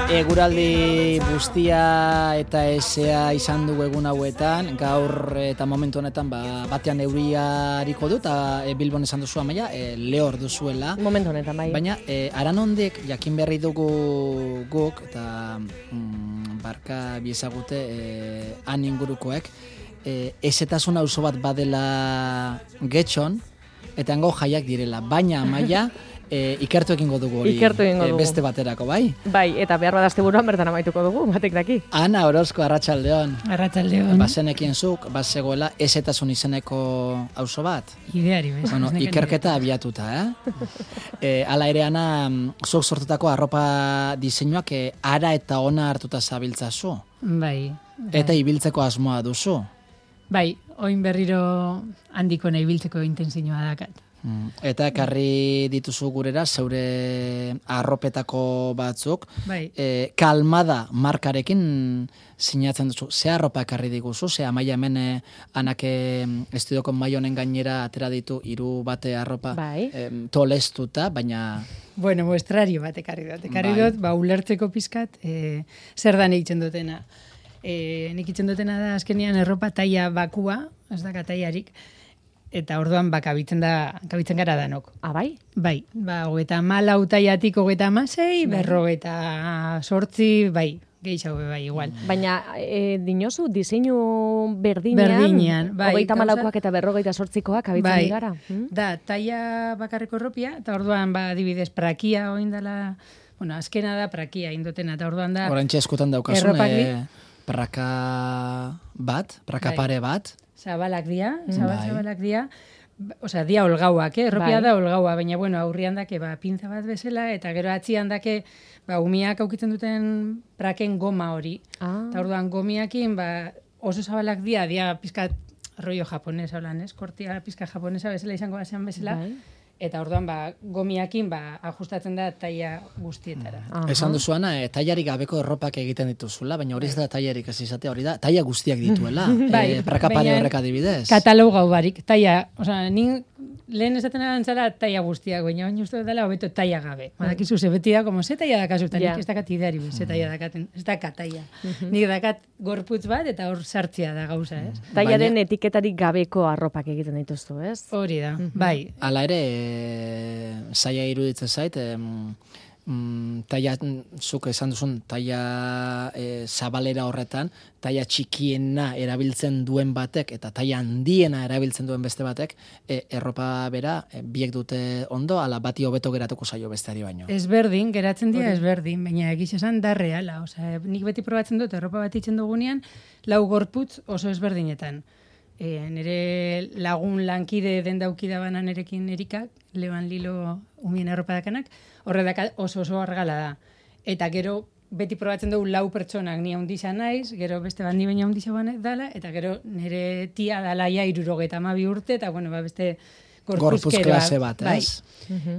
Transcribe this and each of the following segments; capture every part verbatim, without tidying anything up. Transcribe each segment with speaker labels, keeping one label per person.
Speaker 1: Eguraldi guztia eta esea izan dugu egun hauetan, gaur eta momentu honetan ba, batean euriariko du, eta e, Bilbon esan duzu Amaia, e, lehor duzuela.
Speaker 2: Momentu honetan, bai.
Speaker 1: Baina, e, aranondek jakin berri dugu guk, eta mm, barka biezagute e, han ingurukoek, e, ezetasun auzo bat badela Getxon, eta hango jaiak direla, baina Amaia, E, ikertu egingo dugu hori
Speaker 2: Ikertu egingo dugu.
Speaker 1: E, beste baterako, bai?
Speaker 2: Bai, eta behar badazte buruan bertan amaituko dugu, batek daki.
Speaker 1: Ana Orozko, arratsaldeon.
Speaker 3: Arratsaldeon.
Speaker 1: Bazenekien zuk, bazegoela ezetasun izeneko auzo bat?
Speaker 3: Ideari, bez.
Speaker 1: Bueno, ikerketa abiatuta, eh? e, ala ere, Ana, zuk sortutako arropa diseinuak e, ara eta ona hartuta zabiltzazu.
Speaker 3: Bai.
Speaker 1: Eta ibiltzeko asmoa duzu.
Speaker 3: Bai, oin berriro handiko nahi ibiltzeko intentzioa dakat.
Speaker 1: Eta ekarri dituzu gurera zeure arropetako batzuk,
Speaker 3: bai.
Speaker 1: e, Kalmada markarekin sinatzen duzu. Ze arropa ekarri diguzu? Ze Amaia hemen e, anake estudioko maionen gainera atera ditu hiru bate arropa
Speaker 2: bai.
Speaker 1: e, tolestuta, baina...
Speaker 3: Bueno, muestrario bat ekarri dut. Ekarri
Speaker 1: bai.
Speaker 3: dut, ba, ulertzeko pizkat, e, zer da egiten dutena. E, nik itzen dutena da azkenean erropa taia bakua, ez da taiarik, eta orduan ba, kabitzen, da, kabitzen gara danok.
Speaker 2: Ah, bai?
Speaker 3: Bai, ba, hogeita malau taiatik hogeita amasei, berrogeita sortzi, bai, gehiago bai, igual.
Speaker 2: Baina, e, dinozu, diseinu berdinean,
Speaker 3: berdinean bai,
Speaker 2: hogeita malaukoak eta berrogeita sortzikoak kabitzen
Speaker 3: bai,
Speaker 2: gara. Hmm?
Speaker 3: Da, taia bakarreko erropia, eta orduan, ba, adibidez, prakia oindala, bueno, azkena da prakia indotena, eta orduan da...
Speaker 1: Orantxe eskutan daukasun, e, praka bat, praka
Speaker 3: bai.
Speaker 1: pare bat,
Speaker 3: Zabalak dia, zabal,
Speaker 1: bai.
Speaker 3: zabalak dia, osea, dia olgauak, eh? Erropia
Speaker 2: bai.
Speaker 3: da olgaua, baina, bueno, aurrian dake, ba, pinza bat bezala, eta gero atzian dake, ba, umiak aukitzen duten praken goma hori.
Speaker 2: Ah.
Speaker 3: Eta orduan gomiakin, ba, oso zabalak dia, dia pizkat rollo japonesa, holan, ez? Kortia pizka japonesa bezala izango basean bezala,
Speaker 2: Bai.
Speaker 3: eta orduan, ba, gomiakin, ba, ajustatzen da taia guztietara.
Speaker 2: Aha.
Speaker 1: Esan duzu, Ana, e, tailarik gabeko erropak egiten dituzula, baina hori ez da tailarik ez izatea, hori da, taila guztiak dituela.
Speaker 3: Bai,
Speaker 1: e, praka pare
Speaker 3: baina
Speaker 1: horrek adibidez.
Speaker 3: Katalogau barik, taia, osea, nin lehen esaten arantzara taia guztiak, baina baina uste dela hobeto taia gabe. Badakizu, ze beti da, como ze taia dakazu, eta
Speaker 2: Ja.
Speaker 3: nik ez dakat ideari, ze taia dakaten, ez dakat taia. Nik dakat gorputz bat, eta hor sartzia da gauza, ez?
Speaker 2: Tailaren
Speaker 1: Baina-
Speaker 2: etiketarik gabeko arropak egiten dituztu, ez?
Speaker 3: Hori da, bai.
Speaker 1: Hala ere, e, zaila iruditzen zait, em, mm, taia, zuk esan duzun, taia e, zabalera horretan, taia txikiena erabiltzen duen batek, eta taia handiena erabiltzen duen beste batek, e, erropa bera, e, biek dute ondo, ala bati hobeto geratuko zaio besteari baino.
Speaker 3: Ezberdin, geratzen dira ezberdin, baina egiz esan da reala. Osea, nik beti probatzen dut, erropa bat itzen dugunean, lau gorputz oso ezberdinetan. E, nire lagun lankide den daukida banan erekin erikak, Leban Lilo umien erropa dakanak, horre daka oso oso argala da. Eta gero, beti probatzen dugu lau pertsonak ni handisa naiz, gero beste bat ni baina handisa dala, eta gero nire tia dalaia irurogeta amabi urte, eta bueno, ba beste
Speaker 1: Gorpuz
Speaker 3: gorpuzkeroa.
Speaker 1: klase bat,
Speaker 3: bai.
Speaker 1: ez?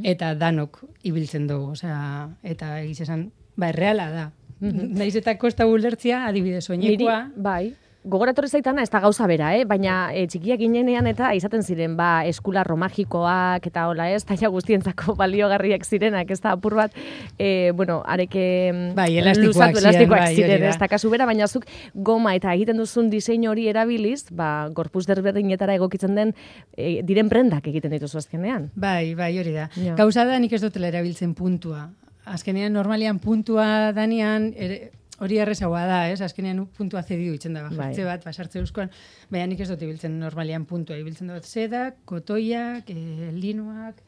Speaker 3: Eta danok ibiltzen dugu, osea, eta egiz esan, ba, erreala da. Naiz eta kosta ulertzia, adibidez, soinekoa.
Speaker 2: Niri, bai. Gogoratorri zaitana ez da gauza bera, eh? Baina e, txikiak ginenean eta izaten ziren, ba, eskularro magikoak eta hola ez, taia guztientzako baliogarriak zirenak, ez da apur bat, e, bueno, areke
Speaker 3: bai, elastikoak
Speaker 2: luzatu,
Speaker 3: ziren,
Speaker 2: elastikoak
Speaker 3: bai,
Speaker 2: ziren,
Speaker 3: hori da.
Speaker 2: ez da kasu bera, baina zuk goma eta egiten duzun diseinu hori erabiliz, ba, gorpuz desberdinetara egokitzen den, e, diren prendak egiten dituzu azkenean.
Speaker 3: Bai, bai, hori da.
Speaker 2: Ja.
Speaker 3: Gauza da nik ez dutela erabiltzen puntua. Azkenean, normalian puntua danean, ere, hori errezagoa da, ez? Azkenean puntua zedidu itzen da, bajartze bat, basartze euskoan, baina nik ez dut ibiltzen normalian puntua, ibiltzen dut sedak, kotoiak, e, linuak,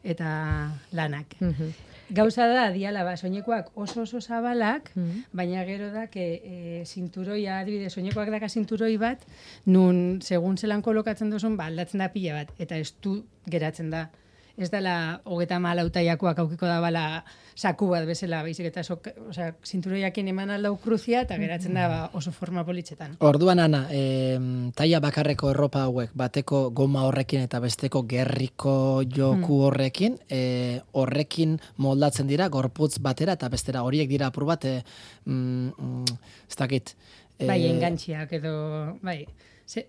Speaker 3: eta lanak. Gauza da, diala, ba, soinekoak oso oso zabalak, baina gero da, que e, zinturoia, adibidez, soinekoak daka zinturoi bat, nun, segun zelan kolokatzen duzun, ba, aldatzen da pila bat, eta estu geratzen da. Ez dela hogeta malau taiakoak aukiko da bala saku bat bezala, baizik eta so, osea, zinturoiakin eman aldau kruzia eta geratzen da ba, oso forma politxetan.
Speaker 1: Orduan, Ana, e, taia bakarreko erropa hauek, bateko goma horrekin eta besteko gerriko joku horrekin, e, horrekin moldatzen dira, gorputz batera eta bestera horiek dira apur bat, e, mm, mm, ez dakit. E,
Speaker 3: Bai, engantziak edo, bai, ze,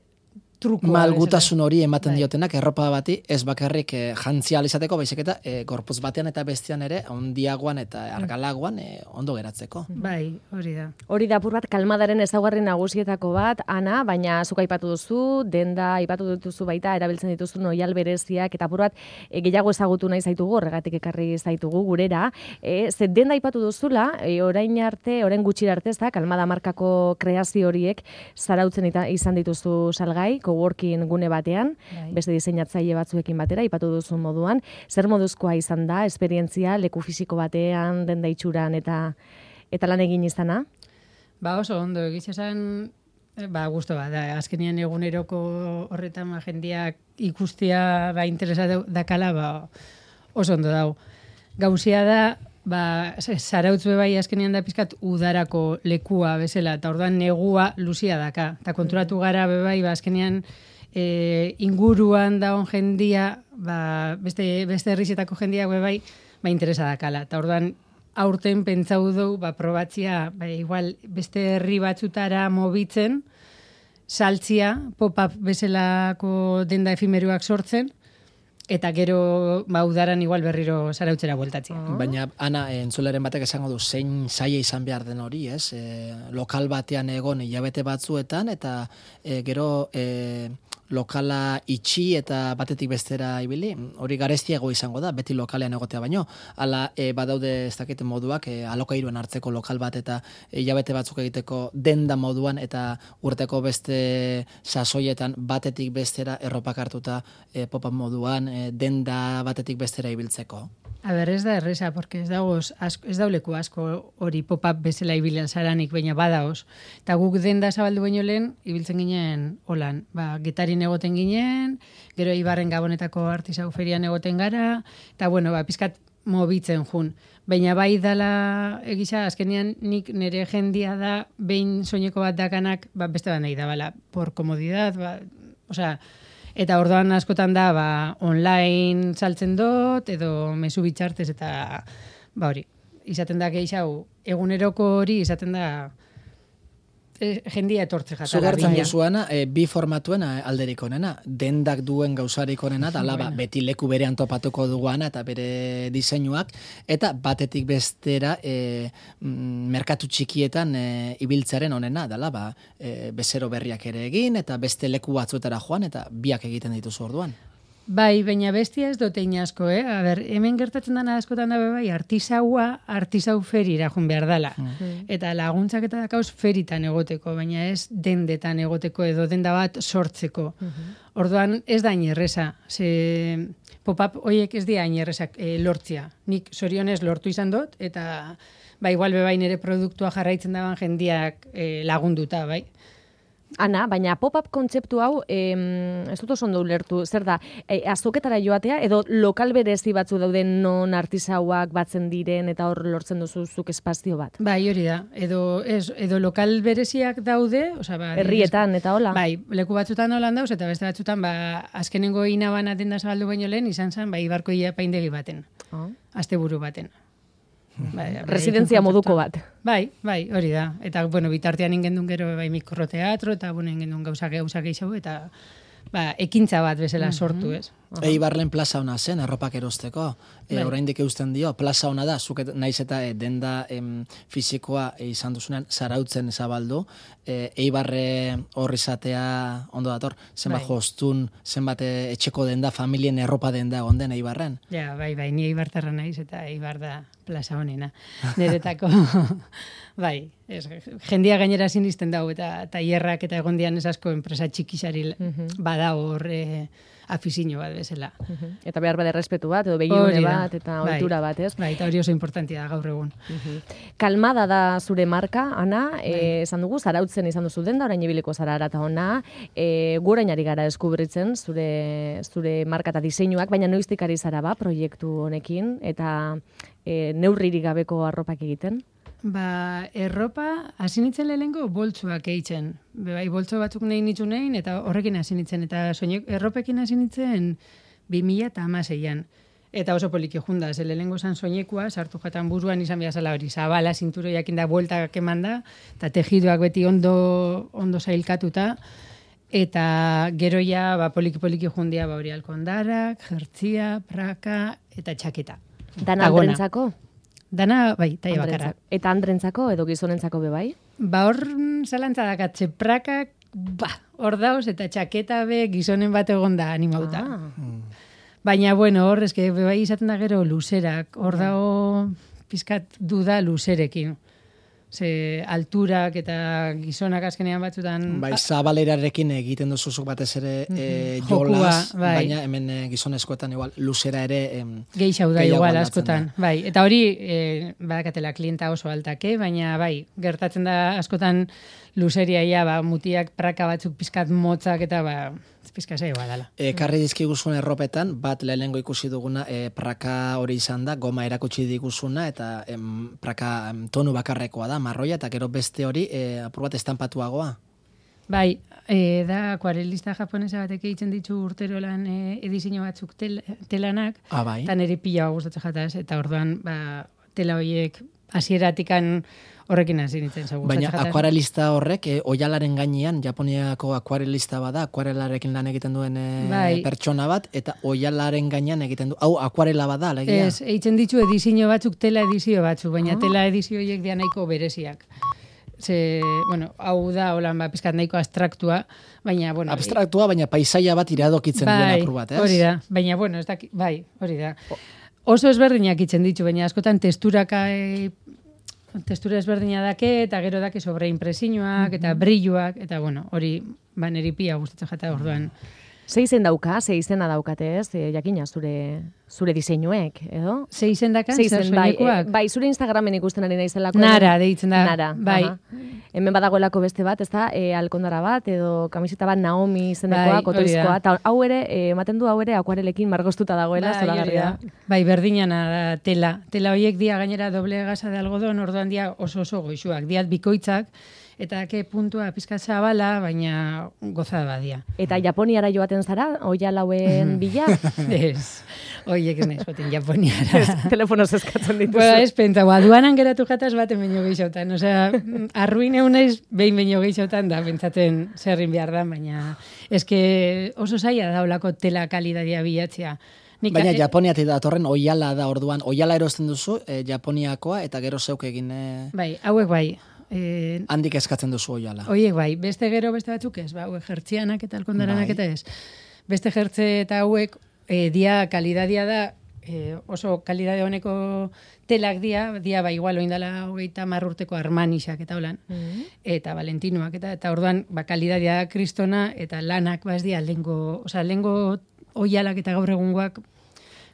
Speaker 3: trukoa.
Speaker 1: Malgutasun hori ematen diotenak, erropa bati, ez bakarrik eh, jantzia izateko, baizik eta eh, gorputz batean eta bestean ere, ondiagoan eta argalagoan eh, ondo geratzeko.
Speaker 3: Bai, hori da.
Speaker 2: Hori da apur bat kalmadaren ezaugarri nagusietako bat, Ana, baina zuk aipatu duzu, denda aipatu dituzu baita, erabiltzen dituzu oihal bereziak, eta apur bat e, gehiago ezagutu nahi zaitugu, horregatik ekarri zaitugu gurera. E, ze denda aipatu duzula, e, orain arte, orain gutxira arte, ez da, kalmada markako kreazio horiek zarautzen eta izan dituzu salgai, coworking gune batean, bai. Beste diseinatzaile batzuekin batera, ipatu duzun moduan. Zer moduzkoa izan da, esperientzia, leku fisiko batean, denda itxuran eta eta lan egin izana?
Speaker 3: Ba oso ondo, egiz esan, ba gusto bat, da, azkenean eguneroko horretan jendeak ikustia ba, interesa dakala, ba oso ondo dau. Gauzia da, ba, zarautzue bai azkenean da pizkat udarako lekua bezala, eta orduan negua luzia daka. Eta konturatu gara bebai, ba, azkenean e, inguruan daun jendia, ba, beste, beste herrizetako jendiak bebai, ba, interesa dakala. Eta orduan aurten pentsau dugu, ba, probatzia, ba, igual beste herri batzutara mobitzen, saltzia, pop-up bezalako denda efimeruak sortzen, eta gero ba, udaran igual berriro zarautzera bueltatzea.
Speaker 1: Oh. Baina, Ana, entzuleren batek esango du, zein zaila izan behar den hori, ez? E, lokal batean egon hilabete batzuetan, eta e, gero e, lokala itxi eta batetik bestera ibili, hori garestiago izango da, beti lokalean egotea baino. Hala, e, badaude ez dakite moduak, e, alokairuen hartzeko lokal bat eta hilabete batzuk egiteko denda moduan eta urteko beste sasoietan batetik bestera erropak hartuta e, pop-up moduan, e, denda batetik bestera ibiltzeko.
Speaker 3: A ber, ez da erresa, porque ez dagoz, asko, ez dauleku asko hori pop-up bezala ibilian zaranik, baina badaoz. Eta guk denda zabaldu baino lehen, ibiltzen ginen holan. Ba, getarin egoten ginen, gero Ibarren Gabonetako artisau ferian egoten gara, eta bueno, ba, pizkat mobitzen jun. Baina bai dala egisa, azkenean nik nire jendia da, behin soineko bat dakanak, ba, beste bat nahi da, bala, por komodidad, ba, osea, eta orduan askotan da, ba, online saltzen dut, edo mezu bitxartez, eta, ba, hori, izaten da gehixau, eguneroko hori izaten da, e, jendia etortze jatara.
Speaker 1: Zugartzen duzuana, e, bi formatuen alderik onena, dendak duen gauzarik onena, da laba, beti leku berean topatuko duguana, eta bere diseinuak, eta batetik bestera, e, merkatu txikietan e, ibiltzaren onena, da laba, e, bezero berriak ere egin, eta beste leku batzuetara joan, eta biak egiten dituzu orduan.
Speaker 3: Bai, baina bestia ez dute inasko, eh? A ber, hemen gertatzen dana askotan da bai, artisaua, artisau ferira joan behar dala. Mm. Eta laguntzak eta dakauz feritan egoteko, baina ez dendetan egoteko edo denda bat sortzeko. Mm-hmm. Orduan ez da inerreza, ze pop-up horiek ez dira inerrezak e, lortzia. Nik zorionez lortu izan dut, eta ba, igual bebain ere produktua jarraitzen daban jendiak e, lagunduta, bai.
Speaker 2: Ana, baina pop-up kontzeptu hau, em, ez dut oso ondo ulertu, zer da, e, azoketara joatea, edo lokal berezi batzu dauden non artisauak batzen diren, eta hor lortzen duzuzuk espazio bat?
Speaker 3: Bai, hori da, edo, ez, edo lokal bereziak daude, osea, ba,
Speaker 2: herrietan eta hola?
Speaker 3: Bai, leku batzutan holan dauz, eta beste batzutan, ba, azkenengo inaban atenda zabaldu baino lehen, izan zen, ba, Ibarko ia paindegi baten, oh. Asteburu baten. Bai,
Speaker 2: residentzia moduko bat.
Speaker 3: Bai, bai, hori da. Eta, bueno, bitartean ingendun gero bai mikroteatro, eta, bueno, ingendun gauzak gauzak eixau, eta, ba, ekintza bat bezala sortu, ez?
Speaker 1: Uh-huh. Eibarren plaza ona zen, erropak erosteko. E, bai. Oraindik eusten dio, plaza ona da, zuket naiz eta e, denda em, fisikoa e, izan duzunean, zarautzen zabaldu. E, Eibarre horri izatea ondo dator, zenbat bai. Jostun, zenbat e, etxeko denda, familien erropa denda onden Eibarren.
Speaker 3: Ja, bai, bai, ni Eibartarra naiz, eta Eibar da plaza honena. Niretako, bai, ez, jendia gainera sinisten dau, eta taierrak eta egondian ez asko enpresa txikisari uh-huh. bada hor e, afizino bat bezala. Uh-huh. Eta behar bade respetu bat, edo begiune bat, eta bai. Ohitura bat, ez? Bai, eta hori oso importantia da gaur egun.
Speaker 2: Uh-huh. Kalmada da zure marka, Ana, bai. e, esan dugu, zarautzen izan duzu den da, orain ibiliko zara arata ona, e, gorainari gara deskubritzen zure, zure marka eta diseinuak, baina noiztik ari zara ba, proiektu honekin, eta e, neurririk gabeko arropak egiten?
Speaker 3: Ba, erropa hasi nintzen lehenengo boltsuak eitzen. Bai, boltso batzuk nahi nitzu nahin, eta horrekin hasi nintzen. Eta soinek, erropekin hasi nintzen bi mila hamaseian. Eta oso poliki junda, ze lehenengo zan soinekua, sartu jatan buruan izan behar zala hori, zabala, zinturoiak inda bueltak eman da, eta tejidoak beti ondo, ondo zailkatuta. eta geroia, ba, poliki-poliki jundia, ba, hori alkondarak, jertzia, praka, eta txaketa.
Speaker 2: Dana andrentzako?
Speaker 3: Dana, bai, taia bakarra.
Speaker 2: Eta andrentzako edo gizonentzako be bai?
Speaker 3: Ba, hor zalantza dakatze prakak, ba, hor dauz, eta txaketa be gizonen bat egon da animauta. Ah. Baina, bueno, hor, eske, bai izaten da gero luzerak, hor dago pizkat duda luzerekin. Ze alturak eta gizonak azkenean batzutan...
Speaker 1: Bai, zabalerarekin egiten duzuzuk batez ere e, jolaz,
Speaker 3: bai.
Speaker 1: Baina hemen e, gizonezkoetan igual luzera ere... Em,
Speaker 3: Geixau da igual askotan, da. Bai. Eta hori, e, badakatela klienta oso altake, baina bai, gertatzen da askotan luzeria ia, ba, mutiak praka batzuk pizkat motzak eta ba... Pizka zaioa dala.
Speaker 1: E, karri dizkiguzun erropetan, bat lehenengo ikusi duguna e, praka hori izan da, goma erakutsi diguzuna, eta em, praka em, tonu bakarrekoa da, marroia, eta gero beste hori e, apur bat estampatuagoa.
Speaker 3: Bai, e, da akuarelista japonesa batek egiten ditu urtero lan e, edizio batzuk tel, telanak,
Speaker 1: ah, bai.
Speaker 3: Eta nire pila gustatzen jataz, eta orduan ba, tela horiek hasieratikan horrekin hasi nintzen.
Speaker 1: Baina akuarelista horrek, e, oialaren gainean, Japoniako akuarelista bada, akuarelarekin lan egiten duen e, bai. Pertsona bat, eta oialaren gainean egiten du. Hau, akuarela bada, alegia?
Speaker 3: Ez, egiten ditu edizio batzuk, tela edizio batzuk, baina oh. tela edizio horiek dia nahiko bereziak. Ze, bueno, hau da, holan, ba, pizkat nahiko abstraktua, baina, bueno...
Speaker 1: Abstraktua, baina paisaia bat iradokitzen bai, duen apur bat, ez?
Speaker 3: Hori da, baina, bueno, ez da, bai, hori da. Oso ezberdinak itzen ditu, baina askotan testuraka... E, testura ezberdina dake, eta gero dake sobreimpresiñoak, eta brilluak, eta bueno, hori, ba, neri pia gustatzen jata orduan.
Speaker 2: Ze izen dauka, ze izena daukate ez, e, jakina zure zure diseinuek, edo?
Speaker 3: Ze izen dakan, ze soinekuak?
Speaker 2: Bai, bai, zure Instagramen ikusten ari naizelako.
Speaker 3: Nara, deitzen da.
Speaker 2: Nara, bai. Aha. Hemen badagoelako beste bat, ez da, e, alkondara bat, edo kamiseta bat Naomi izenekoa, bai, kotoizkoa, eta hau ere, ematen du hau ere akuarelekin margostuta dagoela, bai, zoragarria.
Speaker 3: Bai, berdinana da tela. Tela horiek dia gainera doble gasa de algodon, orduan dia oso oso goixuak. Diat bikoitzak, eta ke puntua pizka zabala, baina gozada badia.
Speaker 2: Eta Japoniara joaten zara, oial hauen bila?
Speaker 3: Ez, oiek ez nahiz joaten Japoniara.
Speaker 2: Telefonoz eskatzen dituzu.
Speaker 3: Ba, ez pentsa, aduanan geratu jataz baten baino gehixotan. Osea, arruine unaiz behin baino gehixotan da, pentsaten zerrin behar da, baina eske oso zaila daulako tela kalidadia bilatzea.
Speaker 1: Nika, baina Japoniatik datorren oiala da orduan, oiala erosten duzu, e, Japoniakoa, eta gero zeuk egin... E...
Speaker 3: Bai, hauek bai. Eh,
Speaker 1: handik eskatzen duzu oiala.
Speaker 3: Oiek bai, beste gero beste batzuk ez, ba, hauek jertzianak eta alkondaranak bai. Eta ez. Beste jertze eta hauek e, dia kalidadia da, e, oso kalidade honeko telak dia, dia ba igual oindala hogeita hamar urteko Armanixak eta holan, mm-hmm. eta Valentinoak eta eta orduan ba kalidadia da kristona eta lanak ba ez dia lengo, osea lengo oialak eta gaur egungoak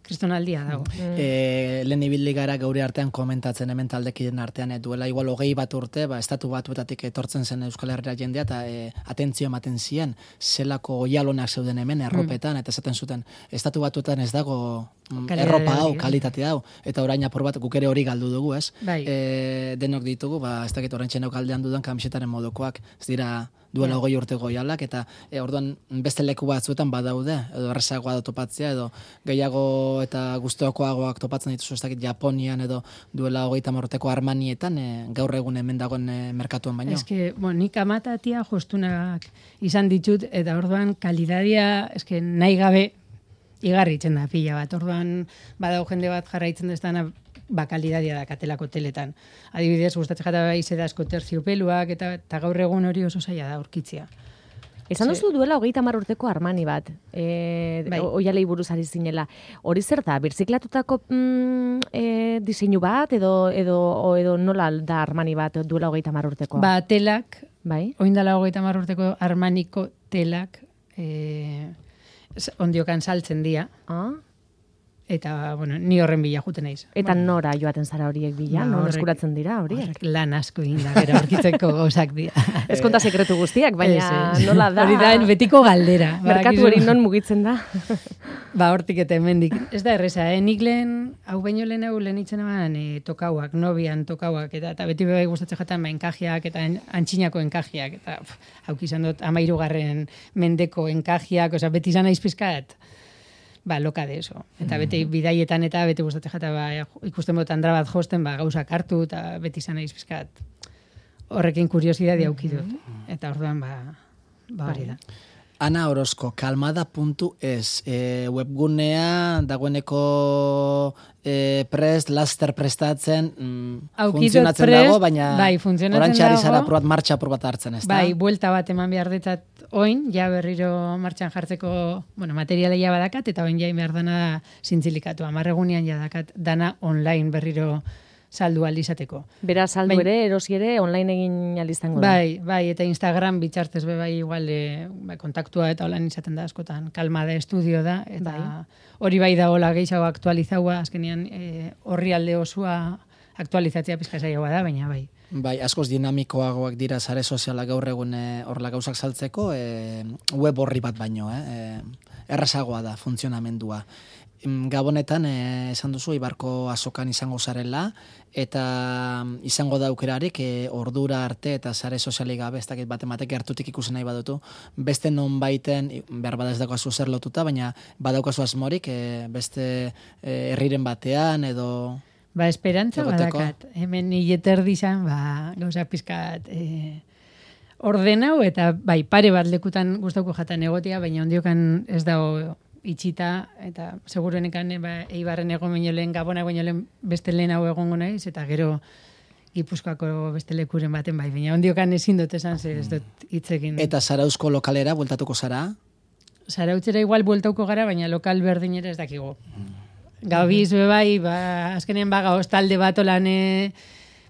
Speaker 3: kristonaldia dago.
Speaker 1: Mm. E, lehen ibildi gara gauri artean komentatzen hemen taldekiden artean, e, duela igual hogei bat urte, ba, estatu batuetatik etortzen zen Euskal Herria jendea, eta e, atentzio ematen ziren, zelako oialonak zeuden hemen erropetan, mm. eta esaten zuten, estatu batuetan ez dago Kalidade erropa hau, kalitate hau, eta orain apur bat guk ere hori galdu dugu, ez?
Speaker 3: Bai.
Speaker 1: E, denok ditugu, ba, ez dakit orain txenok aldean dudan kamisetaren modukoak, ez dira duela hogei urte goialak, eta e, orduan beste leku batzuetan badaude, edo errezagoa da topatzea, edo gehiago eta guztiokoagoak topatzen dituzu, ez dakit Japonian, edo duela hogeita urteko Armanietan, e, gaur egun hemen dagoen e, merkatuan baino.
Speaker 3: Eske, bon, nik amatatia jostunak izan ditut, eta orduan kalidadia, eske nahi gabe, igarri itzen da pila bat. Orduan badau jende bat jarraitzen deztana ba kalidadia da katelako teletan. Adibidez, gustatzen jata baize da asko terciopeluak eta, eta gaur egun hori oso zaila da aurkitzea.
Speaker 2: Esan duzu duela hogeita hamar urteko Armani bat, e, bai. Oialei buruz ari zinela. Hori zer da, birziklatutako mm, e, diseinu bat, edo, edo, o, edo nola da Armani bat duela hogeita hamar urtekoa?
Speaker 3: Ba, telak,
Speaker 2: bai?
Speaker 3: Oindala hogeita hamar urteko Armaniko telak, e, ondiokan saltzen dia.
Speaker 2: Ah.
Speaker 3: Eta, bueno, ni horren bila juten naiz.
Speaker 2: Eta bueno, nora joaten zara horiek bila? Ba, non eskuratzen dira horiek?
Speaker 3: Lan asko inda, gero aurkitzeko gauzak dira.
Speaker 2: Ez konta sekretu guztiak, baina es, es. Nola da?
Speaker 3: Hori da, betiko galdera.
Speaker 2: Merkatu hori non mugitzen da?
Speaker 3: Ba, hortik eta hemendik. Ez da erreza, eh? Nik lehen, hau baino lehen hau lehen itzen eman eh, tokauak, nobian tokauak, eta, eta beti bai gustatzen jatan ba, enkajiak eta antxinako enkajiak, eta hauk izan dut amairugarren mendeko enkajiak, oza, beti izan naiz pizkat, ba, loka de eso. Eta beti bidaietan eta beti gustatzen jata ba, ikusten bot andra bat josten, ba, gauzak hartu, eta beti izan naiz pizkat horrekin kuriosidade auki dut. Eta orduan, ba, ba hori da.
Speaker 1: Ana Orozko, kalmada puntu es, e, webgunea dagoeneko e, prest, laster prestatzen, mm, funtzionatzen
Speaker 3: prest,
Speaker 1: dago, baina
Speaker 3: bai, funtzionatzen
Speaker 1: orantxe ari
Speaker 3: dago.
Speaker 1: zara probat, martxa probat hartzen, ez da?
Speaker 3: Bai, buelta bat eman behar detzat oin, ja berriro martxan jartzeko, bueno, materiala ja badakat, eta oin ja behar dana zintzilikatu. Amarregunean ja dakat dana online berriro saldu alizateko.
Speaker 2: Bera saldu
Speaker 3: Bain,
Speaker 2: ere, erosi ere, online egin alizango da.
Speaker 3: Bai, bai, eta Instagram bitxartez be bai igual e, bai, kontaktua eta holan izaten da askotan. Kalmada estudio da, eta
Speaker 2: bai.
Speaker 3: Hori bai da hola gehiago aktualizaua, azkenean e, horri alde osua aktualizatzea pizka zailagoa da, baina bai.
Speaker 1: Bai, askoz dinamikoagoak dira sare sozialak gaur egun e, horrela gauzak saltzeko, e, web horri bat baino, eh? E, errazagoa da funtzionamendua. Gabonetan, eh, esan duzu, Ibarko azokan izango zarela, eta izango da aukerarik eh, ordura arte eta sare sozialik gabe, ez dakit bate matek gertutik ikusen nahi badutu, beste non baiten, behar bada ez daukazu zer lotuta, baina badaukazu asmorik, eh, beste eh, herriren batean, edo...
Speaker 3: Ba, esperantza
Speaker 1: egoteko.
Speaker 3: badakat. Hemen hileter dizan, ba, gauza pizkat e, ordenau, eta bai, pare bat lekutan gustauko jatan egotia, baina ondiokan ez dago itxita, eta seguruenekan ba, Eibarren egon baino lehen, Gabona baino lehen beste lehen hau egongo naiz, eta gero Gipuzkoako beste lekuren baten bai, baina ondiokan ezin dut esan, ze ez dut hitzekin.
Speaker 1: Eta Zarauzko lokalera bueltatuko zara?
Speaker 3: Zarautzera igual bueltauko gara, baina lokal berdinera ez dakigu. Gabiz be bai, ba, azkenean baga hostalde bat olan e,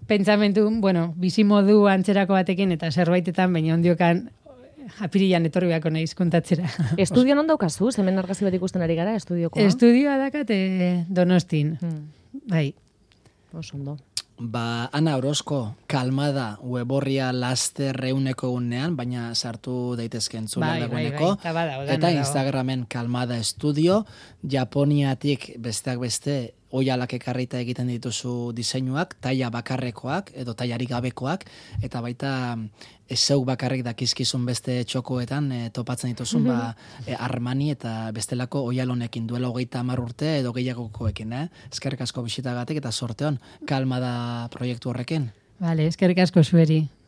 Speaker 3: pentsamentu, bueno, bizimodu antzerako batekin, eta zerbaitetan, baina ondiokan apirilan etorri beharko naiz kontatzera.
Speaker 2: Estudio non daukazu? Hemen argazki bat ikusten ari gara, estudiokoa?
Speaker 3: Estudioa dakat eh, Donostin.
Speaker 2: Hmm.
Speaker 3: Bai.
Speaker 2: Oso ondo.
Speaker 1: Ba, Ana Orozko, kalmada weborria laster reuneko egunean, baina sartu daitezken zula
Speaker 3: bai,
Speaker 1: dagoeneko.
Speaker 3: Bai, bai, bada,
Speaker 1: eta
Speaker 3: dago.
Speaker 1: Instagramen kalmada estudio, Japoniatik besteak beste oialak ekarrita egiten dituzu diseinuak, taila bakarrekoak edo tailarik gabekoak, eta baita zeuk bakarrik dakizkizun beste txokoetan e, topatzen dituzun ba, e, Armani eta bestelako oialonekin duela hogeita hamar urte edo gehiagokoekin. Eh? Eskerrik asko bisitagatik eta sorteon kalmada proiektu horrekin.
Speaker 3: Vale, eskerrik asko zueri.